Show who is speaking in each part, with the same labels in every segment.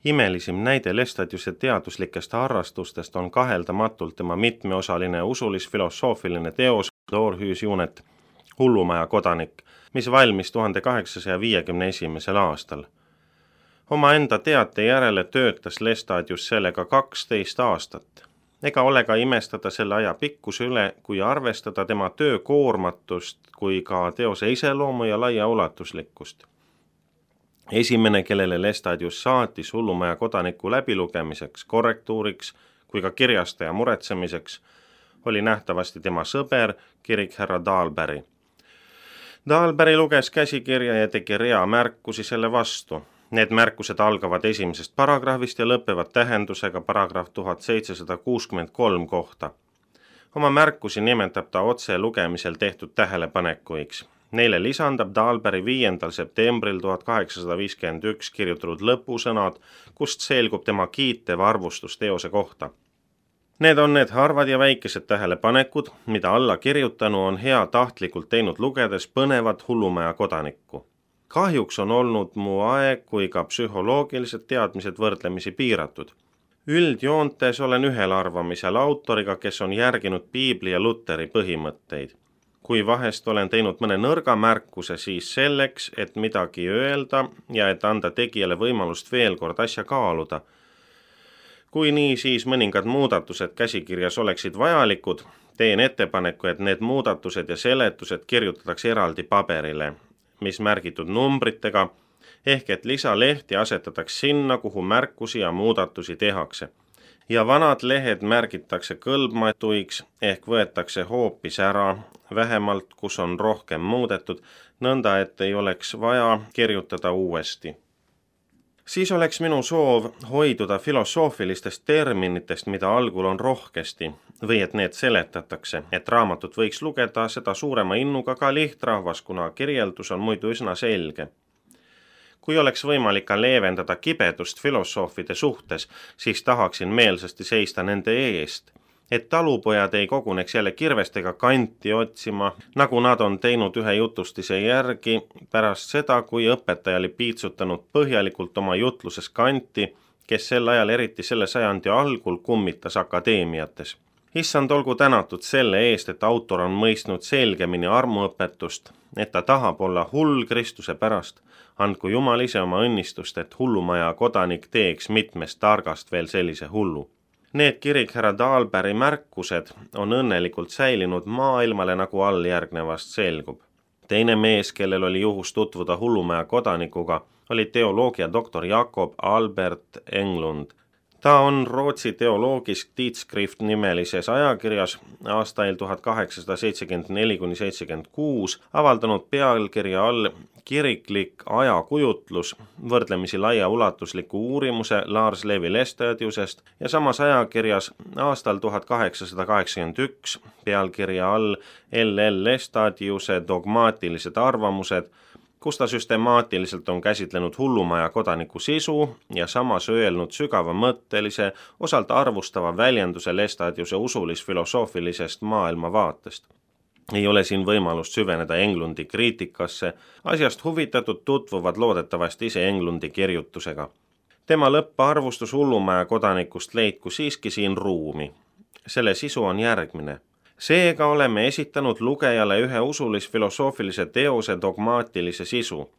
Speaker 1: Imelisim näide Lestadiuse teaduslikest harrastustest on kaheldamatult tema mitmeosaline usulis-filosoofiline teos Dorhüüs Junet, Hullumaja kodanik, mis valmis 1851. aastal. Omaenda teate järele töötas Lestadius sellega 12 aastat. Ega ole ka imestada selle aja pikkuse üle, kui arvestada tema töö koormatust kui ka teose iseloomu ja laia ulatuslikkust. Esimene, kellele Lestadius saatis Hullumaja kodaniku läbilugemiseks, korrektuuriks kui ka kirjastaja muretsemiseks, oli nähtavasti tema sõber, kirikherra Dahlberg. Dahlberg luges käsikirja ja tegi rea märkusi selle vastu. Need märkused algavad esimesest paragrahvist ja lõpevad tähendusega paragrahv 1763 kohta. Oma märkusi nimetab ta otse lugemisel tehtud tähelepanekuiks. Neile lisandab Dahlberg 5. septembril 1851 kirjutatud lõpusõnad, kust selgub tema kiitev arvustus teose kohta. Need on need harvad ja väikesed tähelepanekud, mida alla kirjutanu on hea tahtlikult teinud lugedes põnevat Hullumaja kodanikku. Kahjuks on olnud mu aeg kui ka psühholoogilised teadmised võrdlemisi piiratud. Üldjoontes olen ühel arvamisel autoriga, kes on järginud Piibli ja Luteri põhimõtteid. Kui vahest olen teinud mõne nõrga märkuse, siis selleks, et midagi öelda ja et anda tegijale võimalust veel kord asja kaaluda. Kui nii, siis mõningad muudatused käsikirjas oleksid vajalikud, teen ettepaneku, et need muudatused ja seletused kirjutatakse eraldi paberile, mis märgitud numbritega, ehk et lisalehti asetataks sinna, kuhu märkusi ja muudatusi tehakse. Ja vanad lehed märgitakse kõlbmatuiks, ehk võetakse hoopis ära, vähemalt kus on rohkem muudetud, nõnda et ei oleks vaja kirjutada uuesti. Siis oleks minu soov hoiduda filosoofilistest terminitest, mida algul on rohkesti, või et need seletatakse, et raamatut võiks lugeda seda suurema innuga ka lihtrahvas, kuna kirjeldus on muidu üsna selge. Kui oleks võimalik ka leevendada kibedust filosoofide suhtes, siis tahaksin meelsasti seista nende eest, et talupojad ei koguneks jälle kirvestega kanti otsima, nagu nad on teinud ühe jutustise järgi pärast seda, kui õpetaja oli piitsutanud põhjalikult oma jutluses kanti, kes sel ajal eriti selle sajandi algul kummitas akadeemiates. Issand olgu tänatud selle eest, et autor on mõistnud selgemini armuõpetust, et ta tahab olla hull Kristuse pärast. Andku Jumal ise oma õnnistust, et Hullumaja kodanik teeks mitmest targast veel sellise hullu. Need kirikherra Dahlbergi märkused on õnnelikult säilinud maailmale, nagu alljärgnevast selgub. Teine mees, kellel oli juhus tutvuda Hullumaja kodanikuga, oli teoloogia doktor Jakob Albert Englund. Ta on Rootsi teoloogisk Tidskrift nimelises ajakirjas aastail 1874–76 avaldanud pealkirja all kiriklik ajakujutlus võrdlemisi laia ulatusliku uurimuse Lars Levi Lestadiusest ja samas ajakirjas aastal 1881 pealkirja all L.L. Lestadiuse dogmaatilised arvamused, kus ta süstemaatiliselt on käsitlenud Hullumaja kodaniku sisu ja samas öelnud sügavamõttelise, osalt arvustava väljenduse Lestadiuse usulis-filosoofilisest maailmavaatest. Ei ole siin võimalust süveneda Englundi kriitikasse, asjast huvitatud tutvuvad loodetavasti ise Englundi kirjutusega. Tema lõpparvustus Hullumaja kodanikust leidku siiski siin ruumi. Selle sisu on järgmine. Seega oleme esitanud lugejale ühe usulis-filosoofilise teose dogmaatilise sisu.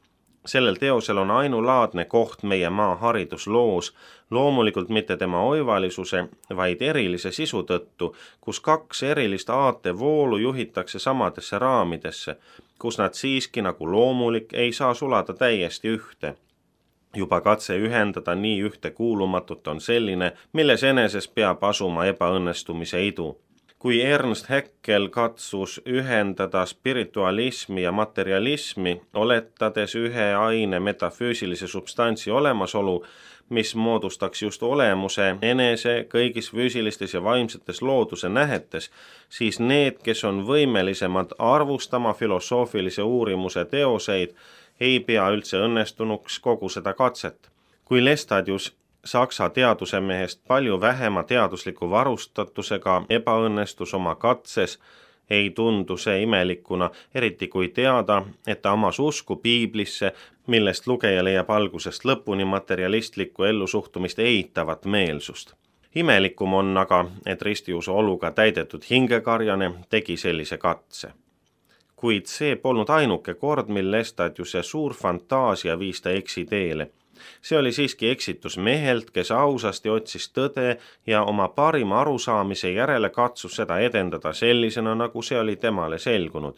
Speaker 1: Sellel teosel on ainulaadne koht meie maa haridusloos, loomulikult mitte tema oivalisuse, vaid erilise sisu tõttu, kus kaks erilist aatevoolu juhitakse samadesse raamidesse, kus nad siiski nagu loomulik ei saa sulada täiesti ühte. Juba katse ühendada nii ühte kuulumatut on selline, milles eneses peab asuma ebaõnnestumise idu. Kui Ernst Haeckel katsus ühendada spiritualismi ja materialismi, oletades ühe aine metafüüsilise substantsi olemasolu, mis moodustaks just olemuse enese kõigis füüsilistes ja vaimsetes looduse nähetes, siis need, kes on võimelisemad arvustama filosoofilise uurimuse teoseid, ei pea üldse õnnestunuks kogu seda katset. Kui Lestadius Saksa teadusemehest palju vähema teadusliku varustatusega ebaõnnestus oma katses, ei tundu see imelikuna, eriti kui teada, et ta omas usku piiblisse, millest lugeja leiab algusest lõpuni materialistlikku ellusuhtumist eitavat meelsust. Imelikum on aga, et ristiusu oluga täidetud hingekarjane tegi sellise katse. Kuid see polnud ainuke kord, mil Lestadiuse suur fantaasia viis ta eksiteele. See oli siiski eksitus mehelt, kes ausasti otsis tõde ja oma parima arusaamise järele katsus seda edendada sellisena, nagu see oli temale selgunud.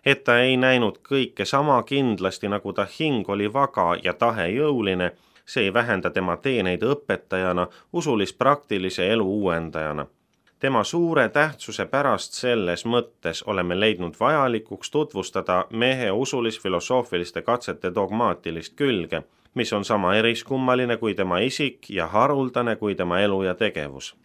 Speaker 1: Et ta ei näinud kõike sama kindlasti, nagu ta hing oli vaga ja tahe jõuline, see ei vähenda tema teeneid õpetajana, usulis-praktilise elu uuendajana. Tema suure tähtsuse pärast selles mõttes oleme leidnud vajalikuks tutvustada mehe usulis-filosoofiliste katsete dogmaatilist külge, mis on sama eriskummaline kui tema isik ja haruldane kui tema elu ja tegevus.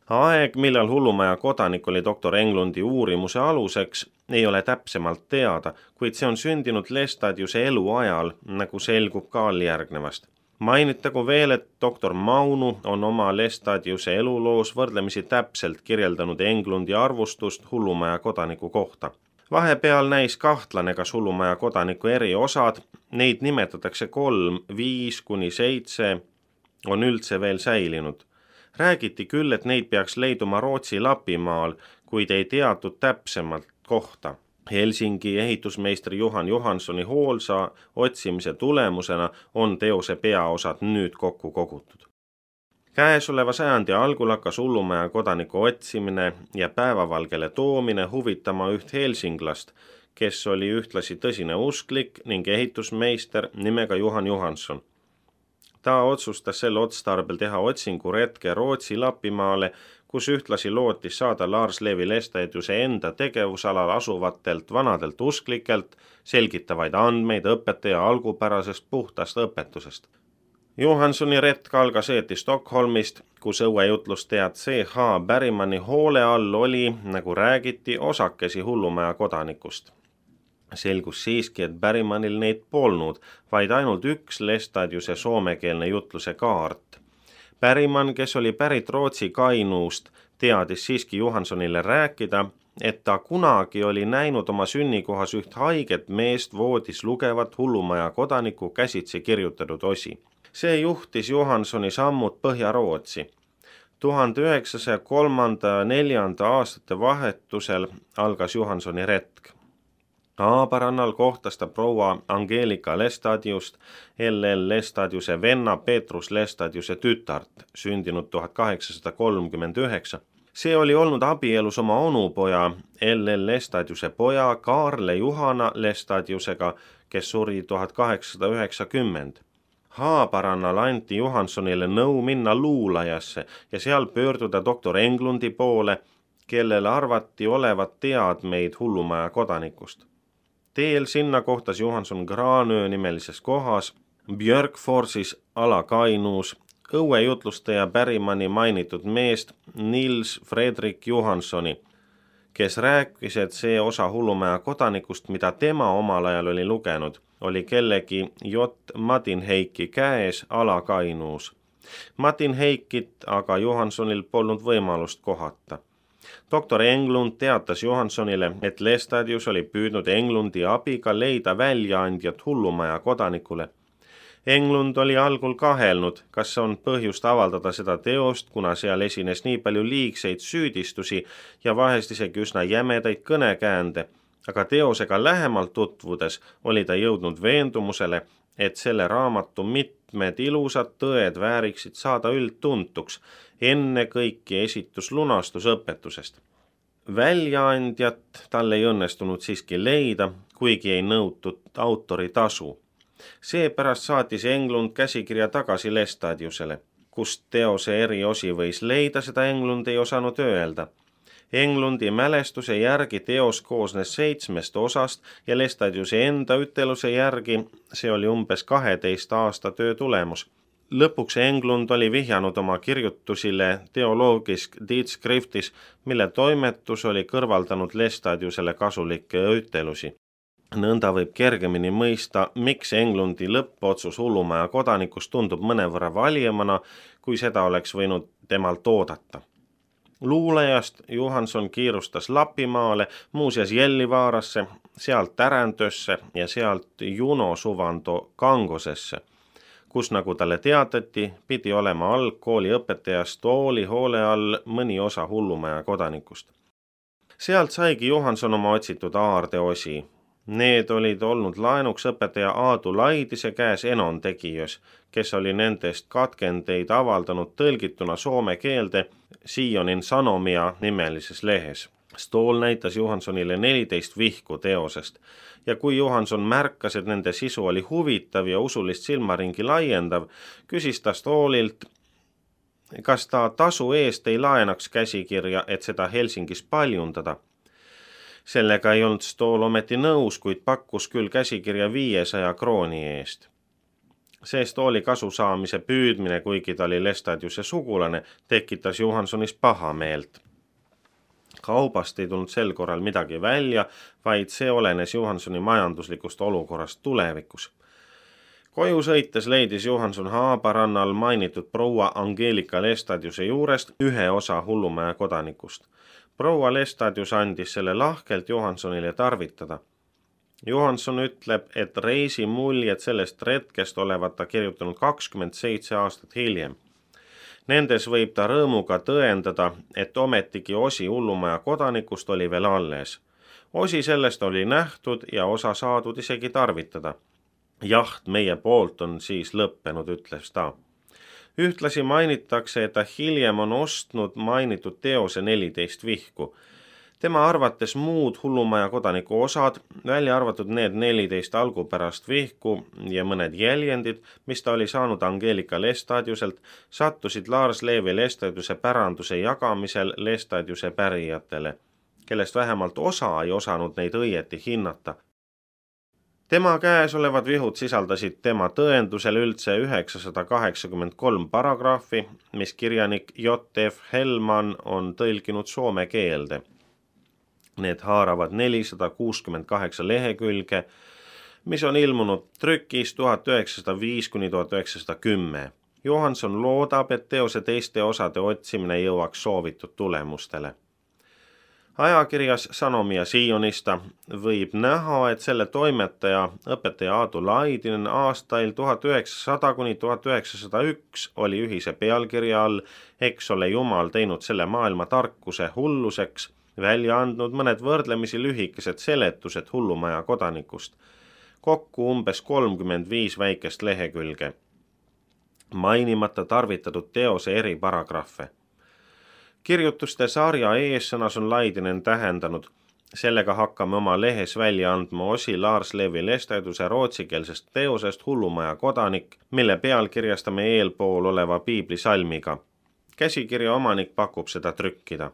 Speaker 1: Aeg, millal Hullumaja kodanik oli doktor Englundi uurimuse aluseks, ei ole täpsemalt teada, kuid see on sündinud Lestadiuse eluajal, nagu selgub ka alljärgnevast. Mainitagu veel, et doktor Maunu on oma Lestadiuse eluloos võrdlemisi täpselt kirjeldanud Englundi arvustust Hullumaja kodaniku kohta. Vahepeal näis kahtlane, kas Hullumaja kodaniku eri osad, neid nimetatakse 3, 5 kuni 7, on üldse veel säilinud. Räägiti küll, et neid peaks leiduma Rootsi Lapimaal, kuid ei teatud täpsemalt kohta. Helsingi ehitusmeistri Johan Johanssoni hoolsa otsimise tulemusena on teose peaosad nüüd kokku kogutud. Käesoleva sajandi algul hakkas Hullumaja kodaniku otsimine ja päevavalgele toomine huvitama üht helsinglast, kes oli ühtlasi tõsine usklik ning ehitusmeister nimega Johan Johansson. Ta otsustas sel otstarbel teha otsinguretke Rootsi Lapimaale, kus ühtlasi lootis saada Lars Levi Lestadiuse enda tegevusalal asuvatelt vanadelt usklikelt selgitavaid andmeid õpetaja algupärasest puhtast õpetusest. Johanssoni retk algas eeti Stockholmist, kus õuejutlustead C.H. Bergmani hoole all oli, nagu räägiti, osakesi Hullumaja kodanikust. Selgus siiski, et Bergmanil neid polnud, vaid ainult üks Lestadiuse soomekeelne jutluse kaart. Bergman, kes oli pärit Rootsi Kainuust, teadis siiski Johanssonile rääkida, et ta kunagi oli näinud oma sünnikohas üht haiget meest voodis lugevat Hullumaja kodaniku käsitsi kirjutatud osi. See juhtis Johanssoni sammud Põhja-Rootsi. 1903-4 aastate vahetusel algas Johanssoni retk. Aabarannal kohtas ta proua Angelika Lestadiust, LL Lestadiuse venna Petrus Lestadiuse tütart, sündinud 1839. See oli olnud abielus oma onupoja, LL Lestadiuse poja Kaarle Juhana Lestadiusega, kes suri 1890. Haabarannal anti Johanssonile nõu minna luulajasse ja seal pöörduda doktor Englundi poole, kellele arvati olevat teadmeid Hullumaja kodanikust. Teel sinna kohtas Johansson Granö nimelises kohas, Björkforsis Ala-Kainuus, õuejutlustaja Bergmani mainitud meest Nils Fredrik Johanssoni, kes rääkis, et see osa Hullumaja kodanikust, mida tema omal ajal oli lugenud, oli kellegi J. Madinheiki käes Ala-Kainuus. Madinheikit aga Johanssonil polnud võimalust kohata. Doktor Englund teatas Johanssonile, et Lestadius oli püüdnud Englundi abiga leida väljaandjat Hullumaja kodanikule. Englund oli algul kahelnud, kas on põhjust avaldada seda teost, kuna seal esines nii palju liigseid süüdistusi ja vahest isegi üsna jämedaid kõnekäände, aga teosega lähemalt tutvudes oli ta jõudnud veendumusele, et selle raamatu mitmed ilusad tõed vääriksid saada üldtuntuks, enne kõiki esitus lunastusõpetusest. Väljaandjat tal ei õnnestunud siiski leida, kuigi ei nõutud autori tasu. Seepärast saatis Englund käsikirja tagasi Lestadiusele. Kust teose eri osi võis leida, seda Englund ei osanud öelda. Englundi mälestuse järgi teos koosnes 7 osast ja Lestadiuse enda üteluse järgi see oli umbes 12 aasta töö tulemus. Lõpuks Englund oli vihjanud oma kirjutusile Theologisk Tidskriftis, mille toimetus oli kõrvaldanud Lestadiusele kasulikke ütelusi. Nõnda võib kergemini mõista, miks Englundi lõppotsus Hullumaja kodanikust tundub mõnevõrra valjemana, kui seda oleks võinud temalt oodata. Luulajast Johanson kiirustas Lapimaale, muuseas Jellivaarasse, sealt Täräntösse ja sealt Juno Suvando Kangosesse, kus, nagu talle teatati, pidi olema algkooli õpetajast Tooli hoole all mõni osa Hullumaja kodanikust. Sealt saigi Johanson oma otsitud aardeosi. Need olid olnud laenuks õpetaja Aadu Laidise käes Enon Tegijös, kes oli nendest katkendeid avaldanud tõlgituna soome keelde Sionin Sanomia nimelises lehes. Stool näitas Johansonile 14 vihku teosest ja kui Johanson märkas, et nende sisu oli huvitav ja usulist silmaringi laiendav, küsis ta Stoolilt, kas ta tasu eest ei laenaks käsikirja, et seda Helsingis paljundada. Sellega ei olnud Stool ometi nõus, kuid pakkus küll käsikirja 500 krooni eest. See Stooli kasu saamise püüdmine, kuigi ta oli Lestadiuse sugulane, tekitas Johansonis pahameelt. Kaubast ei tulnud sel korral midagi välja, vaid see olenes Johansoni majanduslikust olukorrast tulevikus. Koju sõites leidis Johanson Haabarannal mainitud proua Angeelika Lestadiuse juurest ühe osa Hullumaja kodanikust. Proua Lestadius andis selle lahkelt Johansonile tarvitada. Johanson ütleb, et reisimuljed sellest retkest olevat ta kirjutanud 27 aastat hiljem. Nendes võib ta rõõmuga tõendada, et ometigi osi Hullumaja kodanikust oli veel alles. Osi sellest oli nähtud ja osa saadud isegi tarvitada. Jaht meie poolt on siis lõppenud, ütles ta. Ühtlasi mainitakse, et ta hiljem on ostnud mainitud teose 14 vihku. Tema arvates muud Hullumaja kodaniku osad, välja arvatud need 14 algupärast vihku ja mõned jäljendid, mis ta oli saanud Angeelika Lestadiuselt, sattusid Lars Levi Lestadiuse päranduse jagamisel Lestadiuse pärijatele, kellest vähemalt osa ei osanud neid õieti hinnata. Tema käes olevad vihud sisaldasid tema tõendusel üldse 983 paragrahvi, mis kirjanik J.F. Hellman on tõlkinud soome keelde. Need haaravad 468 lehekülge, mis on ilmunud trükis 1905–1910. Johanson loodab, et teose teiste osade otsimine jõuaks soovitud tulemustele. Ajakirjas Sanomia Sionista võib näha, et selle toimetaja, õpetaja Aadu Laidinen aastail 1900–1901 oli ühise pealkirja all Eks ole Jumal teinud selle maailma tarkuse hulluseks, välja andnud mõned võrdlemisi lühikesed seletused Hullumaja kodanikust, kokku umbes 35 väikest lehekülge, mainimata tarvitatud teose eri paragrahve. Kirjutuste sarja eessõnas on Laidinen tähendanud, sellega hakkame oma lehes välja andma osi Lars Levi Lestadiuse rootsikeelsest teosest Hullumaja kodanik, mille pealkirjastame eelpool oleva piiblisalmiga. Käsikirja omanik pakub seda trükkida.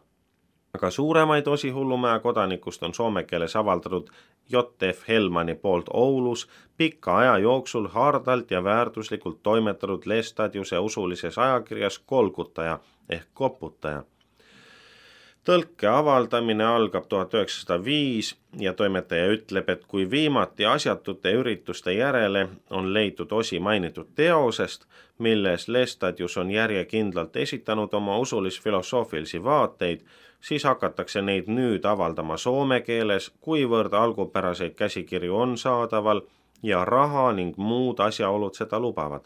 Speaker 1: Aga suuremaid osi Hullumaja kodanikust on soome keeles avaldatud J.F. Hellmani poolt Oulus pika aja jooksul hardalt ja väärtuslikult toimetatud Lestadiuse usulises ajakirjas Kolkutaja ehk Koputaja. Tõlke avaldamine algab 1905 ja toimetaja ütleb, et kui viimati asjatute ürituste järele on leitud osi mainitud teosest, milles Lestadius on järjekindlalt esitanud oma usulis-filosoofilisi vaateid, siis hakatakse neid nüüd avaldama soome keeles, kuivõrd algupäraseid käsikirju on saadaval ja raha ning muud asjaolud seda lubavad.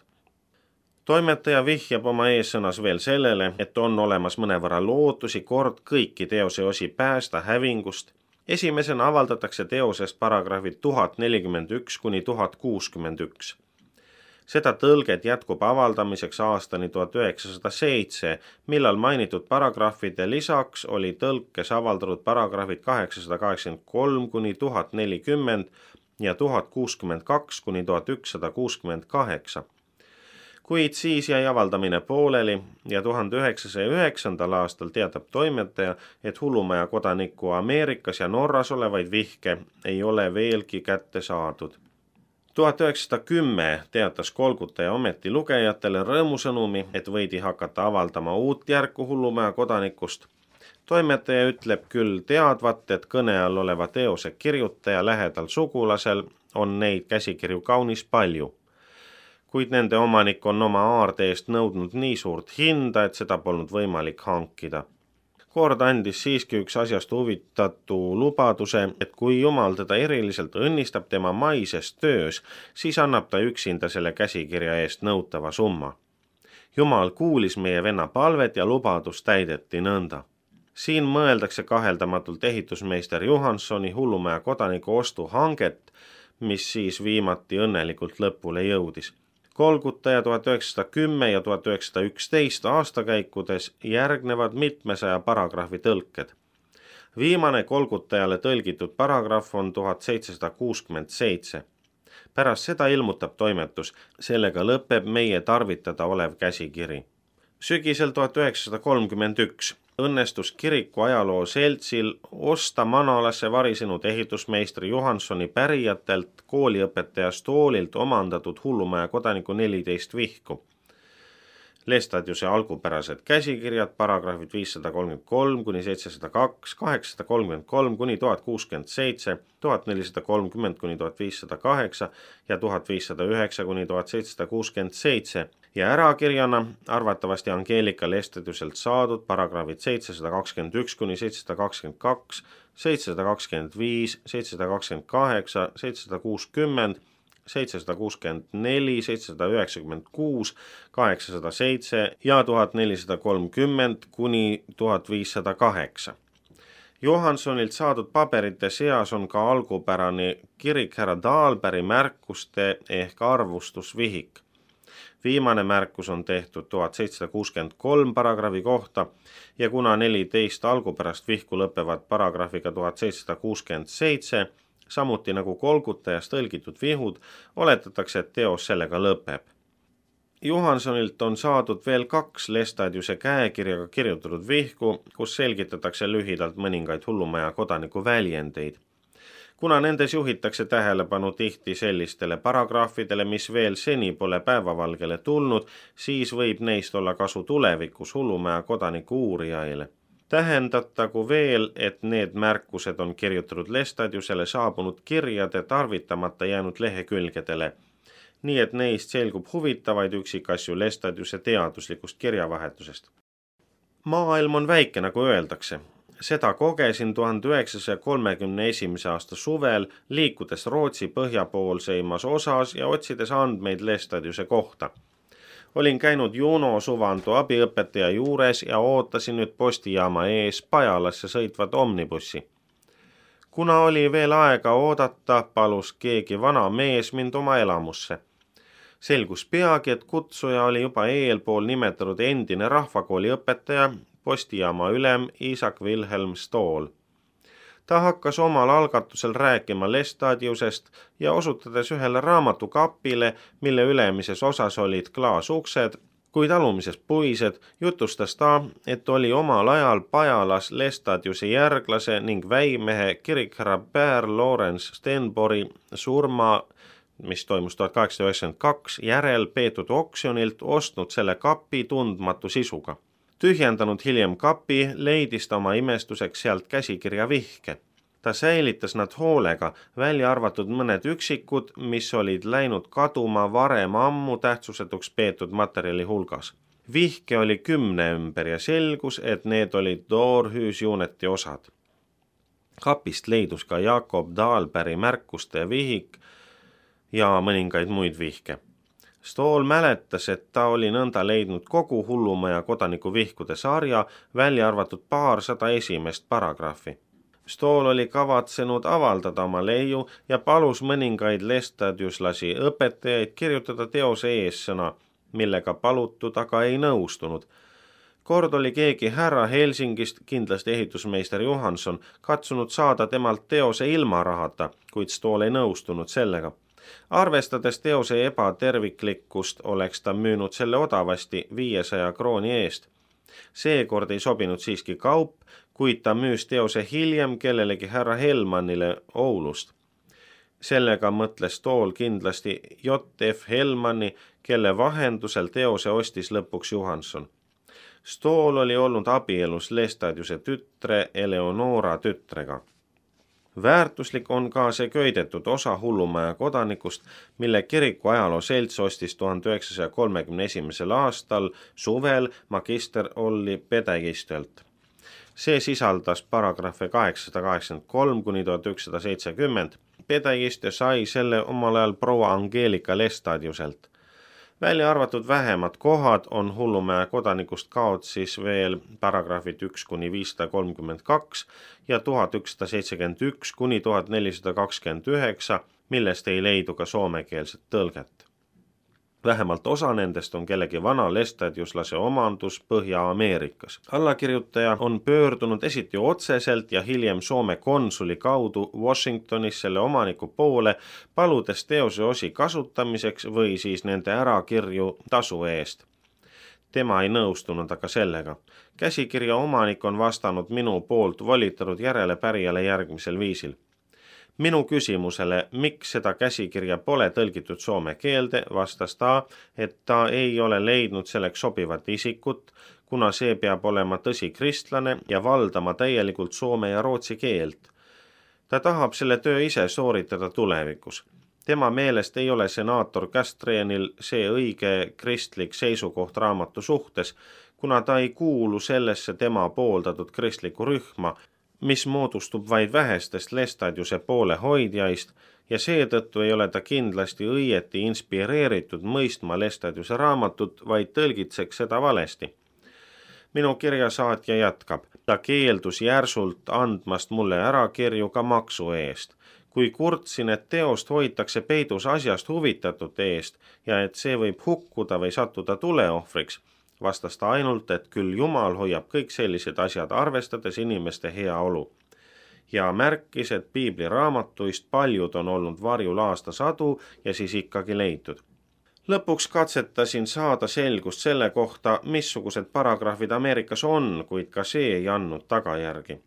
Speaker 1: Toimetaja vihjab oma eessõnas veel sellele, et on olemas mõnevõrra lootusi kord kõiki teose osi päästa hävingust. Esimesena avaldatakse teosest paragrahvid 1041–1061. Seda tõlget jätkub avaldamiseks aastani 1907, millal mainitud paragrahvide lisaks oli tõlkes avaldatud paragrahvid 883–1040 ja 1062–1168. Kuid siis jäi avaldamine pooleli ja 1909. aastal teatab toimetaja, et Hullumaja kodaniku Ameerikas ja Norras olevaid vihke ei ole veelgi kätte saadud. 1910 teatas Kolkutaja ometi lugejatele rõõmusõnumi, et võidi hakata avaldama uut järku Hullumaja kodanikust. Toimetaja ütleb küll teadvat, et kõne all oleva teose kirjutaja lähedal sugulasel on neid käsikirju kaunis palju, kuid nende omanik on oma aarde eest nõudnud nii suurt hinda, et seda polnud võimalik hankida. Kord andis siiski üks asjast huvitatu lubaduse, et kui Jumal teda eriliselt õnnistab tema maises töös, siis annab ta üksinda selle käsikirja eest nõutava summa. Jumal kuulis meie venna palvet ja lubadus täideti nõnda. Siin mõeldakse kaheldamatult ehitusmeister Johanssoni Hullumaja kodaniku ostuhanget, mis siis viimati õnnelikult lõpule jõudis. Kolgutaja 1910 ja 1911 aastakäikudes järgnevad mitmesaja paragrahvi tõlked. Viimane Kolgutajale tõlgitud paragrahv on 1767. Pärast seda ilmutab toimetus, sellega lõpeb meie tarvitada olev käsikiri. Sügisel 1931 õnnestus kiriku ajaloo seltsil osta Manalasse varisenud ehitusmeistri Johanssoni pärijatelt kooliõpetaja Stoolilt omandatud Hullumaja kodaniku 14 vihku. Lestadiuse algupärased käsikirjad, paragrahvid 533 kuni 702, 833 kuni 1067, 1430 kuni 1508 ja 1509 kuni 1767 ja ärakirjana arvatavasti Angeelika Lestadiuselt saadud paragrahvid 721 kuni 722, 725, 728, 760, 764, 796, 807 ja 1430 kuni 1508. Johanssonilt saadud paberite seas on ka algupärane kirik härra Dahlbergi märkuste ehk arvustusvihik. Viimane märkus on tehtud 1763 paragrahvi kohta ja kuna 14 algupärast vihku lõpevad paragrahviga 1767, samuti nagu Kolgutajast tõlgitud vihud, oletatakse, et teos sellega lõpeb. Johanssonilt on saadud veel 2 Lestadiuse käekirjaga kirjutatud vihku, kus selgitatakse lühidalt mõningaid Hullumaja kodaniku väljendeid. Kuna nendes juhitakse tähelepanu tihti sellistele paragrahvidele, mis veel seni pole päevavalgele tulnud, siis võib neist olla kasu tulevikus Hullumaja kodaniku uurijaile. Tähendatagu veel, et need märkused on kirjutatud Lestadiusele saabunud kirjade tarvitamata jäänud lehekülgedele, nii et neist selgub huvitavaid üksikasju Lestadiuse teaduslikust kirjavahetusest. Maailm on väike, nagu öeldakse. Seda kogesin 1931. aasta suvel, liikudes Rootsi põhjapoolseimas osas ja otsides andmeid Lestadiuse kohta. Olin käinud Juno Suvanto abiõpetaja juures ja ootasin nüüd postijaama ees Pajalasse sõitvat omnibussi. Kuna oli veel aega oodata, palus keegi vana mees mind oma elamusse. Selgus peagi, et kutsuja oli juba eelpool nimetatud endine rahvakooli õpetaja, postijaama ülem Isak Wilhelm Stool. Ta hakkas omal algatusel rääkima Lestadiusest ja osutades ühele raamatukapile, mille ülemises osas olid klaasuksed, kuid alumises puised, jutustas ta, et oli omal ajal Pajalas Lestadiuse järglase ning väimehe kirikherra Pär Lorentz Stenbori surma, mis toimus 1892, järel peetud oksjonilt ostnud selle kapi tundmatu sisuga. Tühjendanud hiljem kapi, leidis ta oma imestuseks sealt käsikirja vihke. Ta säilitas nad hoolega, välja arvatud mõned üksikud, mis olid läinud kaduma varem ammu tähtsusetuks peetud materjali hulgas. Vihke oli 10 ümber ja selgus, et need olid Doorhüüsjuuneti osad. Kapist leidus ka Jakob Dahlbergi märkuste vihik ja mõningaid muid vihke. Stool mäletas, et ta oli nõnda leidnud kogu Hullumaja kodaniku vihkude sarja, välja arvatud paarsada esimest paragrahvi. Stool oli kavatsenud avaldada oma leiu ja palus mõningaid lestadiuslasi õpetajaid kirjutada teose eessõna, millega palutud aga ei nõustunud. Kord oli keegi härra Helsingist, kindlasti ehitusmeister Johansson, katsunud saada temalt teose ilma rahata, kuid Stool ei nõustunud sellega. Arvestades teose ebaterviklikkust, oleks ta müünud selle odavasti 500 krooni eest. Seekord ei sobinud siiski kaup, kuid ta müüs teose hiljem kellelegi härra Helmanile Oulust. Sellega mõtles Stool kindlasti J.F. Helmani, kelle vahendusel teose ostis lõpuks Johansson. Stool oli olnud abielus Lestadiuse tütre Eleonora tütrega. Väärtuslik on ka see köidetud osa Hullumaja kodanikust, mille kiriku ajaloo selts ostis 1931. aastal suvel magister Olli Pedegistelt. See sisaldas paragrahve 883 kuni 1970. Pedagiste sai selle omal ajal proua Angelika Lestadiuselt. Välja arvatud vähemad kohad on Hullumäe kodanikust kaotsis veel paragrahvid 1 kuni 532 ja 1171 kuni 1429, millest ei leidu ka soomekeelset tõlget. Vähemalt osa nendest on kellegi vana lestadiuslase omandus Põhja-Ameerikas. Allakirjutaja on pöördunud esiti otseselt ja hiljem Soome konsuli kaudu Washingtonis selle omaniku poole, paludes teose osi kasutamiseks või siis nende ärakirju tasu eest. Tema ei nõustunud aga sellega. Käsikirja omanik on vastanud minu poolt volitatud järelepärijale järgmisel viisil. Minu küsimusele, miks seda käsikirja pole tõlgitud soome keelde, vastas ta, et ta ei ole leidnud selleks sobivat isikut, kuna see peab olema tõsi kristlane ja valdama täielikult soome ja rootsi keelt. Ta tahab selle töö ise sooritada tulevikus. Tema meelest ei ole senaator Castrienil see õige kristlik seisukoht raamatu suhtes, kuna ta ei kuulu sellesse tema pooldatud kristlikku rühma, mis moodustub vaid vähestest Lestadiuse poole hoidjaist ja seetõttu ei ole ta kindlasti õieti inspireeritud mõistma Lestadiuse raamatut, vaid tõlgitseks seda valesti. Minu kirjasaatja jätkab. Ta keeldus järsult andmast mulle ärakirju ka maksu eest. Kui kurtsin, et teost hoitakse peidus asjast huvitatud eest ja et see võib hukkuda või sattuda tuleohvriks, vastas ta ainult, et küll Jumal hoiab kõik sellised asjad arvestades inimeste heaolu. Ja märkis, et piibliraamatuist paljud on olnud varjul aastasadu ja siis ikkagi leitud. Lõpuks katsetasin saada selgust selle kohta, missugused paragrahvid Ameerikas on, kuid ka see ei andnud tagajärgi.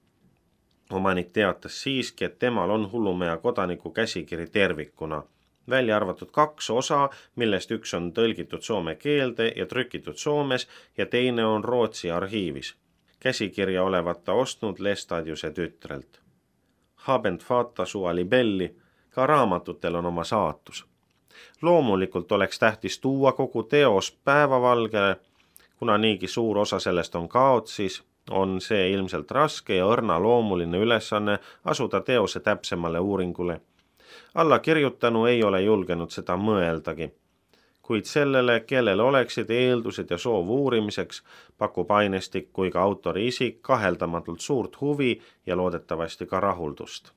Speaker 1: Omanik teatas siiski, et temal on Hullumäe kodaniku käsikiri tervikuna. Välja arvatud 2 osa, millest üks on tõlgitud soome keelde ja trükitud Soomes ja teine on Rootsi arhiivis. Käsikirja olevat ta ostnud Lestadiuse tütrelt. Habent fata sua libelli, ka raamatutel on oma saatus. Loomulikult oleks tähtis tuua kogu teos päevavalgele, kuna niigi suur osa sellest on kaotsis, on see ilmselt raske ja õrna loomuline ülesanne asuda teose täpsemale uuringule. Allakirjutanu ei ole julgenud seda mõeldagi, kuid sellele, kellel oleksid eeldused ja soov uurimiseks, pakub ainestik kui ka autori isik kaheldamatult suurt huvi ja loodetavasti ka rahuldust.